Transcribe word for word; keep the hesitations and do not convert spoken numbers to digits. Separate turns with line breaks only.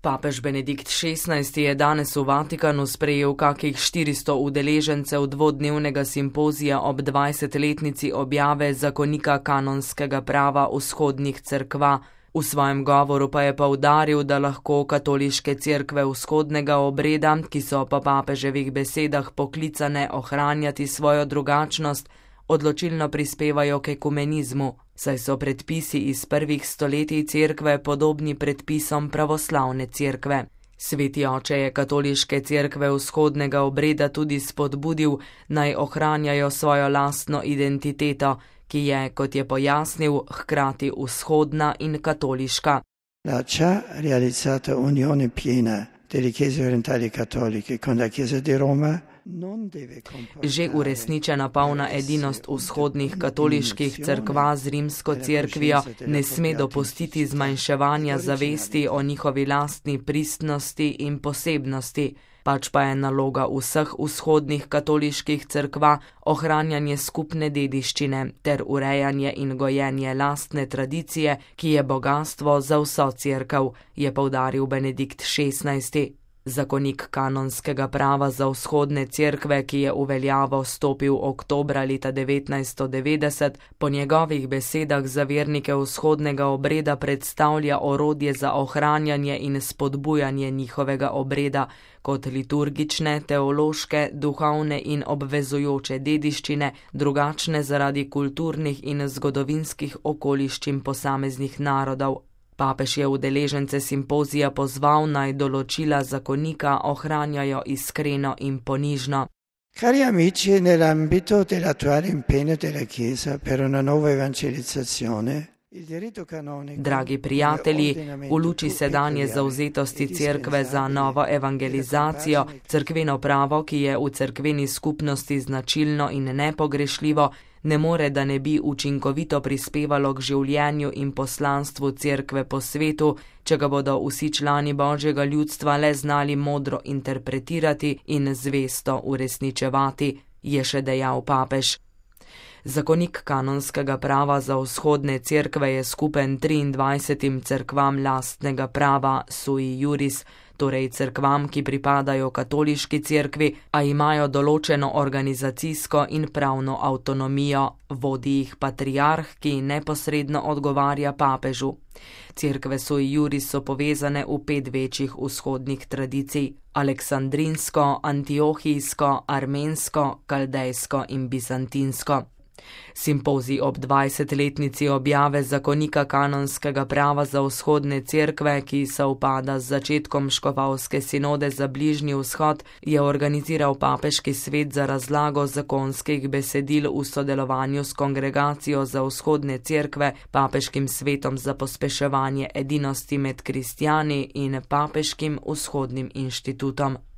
Papež Benedikt šestnajsti je danes v Vatikanu sprejel kakih štiristo udeležencev dvodnevnega simpozija ob dvajsetletnici objave zakonika kanonskega prava vzhodnih cerkva. V svojem govoru pa je poudaril, da lahko katoliške cerkve vzhodnega obreda, ki so po papeževih besedah poklicane ohranjati svojo drugačnost, odločilno prispevajo k ekumenizmu, saj so predpisi iz prvih stoletij cerkve podobni predpisom pravoslavne cerkve. Sveti oče je katoliške cerkve vzhodnega obreda tudi spodbudil, naj ohranjajo svojo lastno identiteto, ki je, kot je pojasnil, hkrati vzhodna in katoliška.
La già realizzata unione piena delle chiese orientali cattoliche con la Chiesa di Roma.
Že uresničena polna edinost vzhodnih katoliških cerkva z rimsko cerkvijo ne sme dopustiti zmanjševanja zavesti o njihovi lastni pristnosti in posebnosti, pač pa je naloga vseh vzhodnih katoliških cerkva ohranjanje skupne dediščine ter urejanje in gojenje lastne tradicije, ki je bogastvo za vso cerkev, je poudaril Benedikt šestnajsti. Zakonik kanonskega prava za vzhodne cerkve, ki je v veljavo stopil oktobra leta devetnajststo devetdeset, po njegovih besedah za vernike vzhodnega obreda predstavlja orodje za ohranjanje in spodbujanje njihovega obreda kot liturgične, teološke, duhovne in obvezujoče dediščine, drugačne zaradi kulturnih in zgodovinskih okoliščin posameznih narodov. Papež je udeležence simpozija pozval, naj določila zakonika ohranjajo iskreno in ponižno.
Cari amici, nell'ambito dell'attuale impegno della Chiesa per una nuova evangelizzazione,
Dragi prijatelji, v luči sedanje zavzetosti cerkve za novo evangelizacijo, cerkveno pravo, ki je v cerkveni skupnosti značilno in nepogrešljivo, ne more, da ne bi učinkovito prispevalo k življenju in poslanstvu cerkve po svetu, če ga bodo vsi člani Božjega ljudstva le znali modro interpretirati in zvesto uresničevati, je še dejal papež. Zakonik kanonskega prava za vzhodne cerkve je skupen triindvajsetim cerkvam lastnega prava sui juris, torej cerkvam, ki pripadajo katoliški cerkvi, a imajo določeno organizacijsko in pravno avtonomijo, vodi jih patriarh, ki neposredno odgovarja papežu. Cerkve sui juris so povezane v pet večjih vzhodnih tradicij: aleksandrinsko, antiohijsko, armensko, kaldejsko in bizantinsko. Simpozij ob dvajsetletnici objave zakonika kanonskega prava za vzhodne cerkve, ki sovpada z začetkom škofovske sinode za Bližnji vzhod, je organiziral papeški svet za razlago zakonskih besedil v sodelovanju s Kongregacijo za vzhodne cerkve, papeškim svetom za pospeševanje edinosti med kristjani in papeškim vzhodnim inštitutom.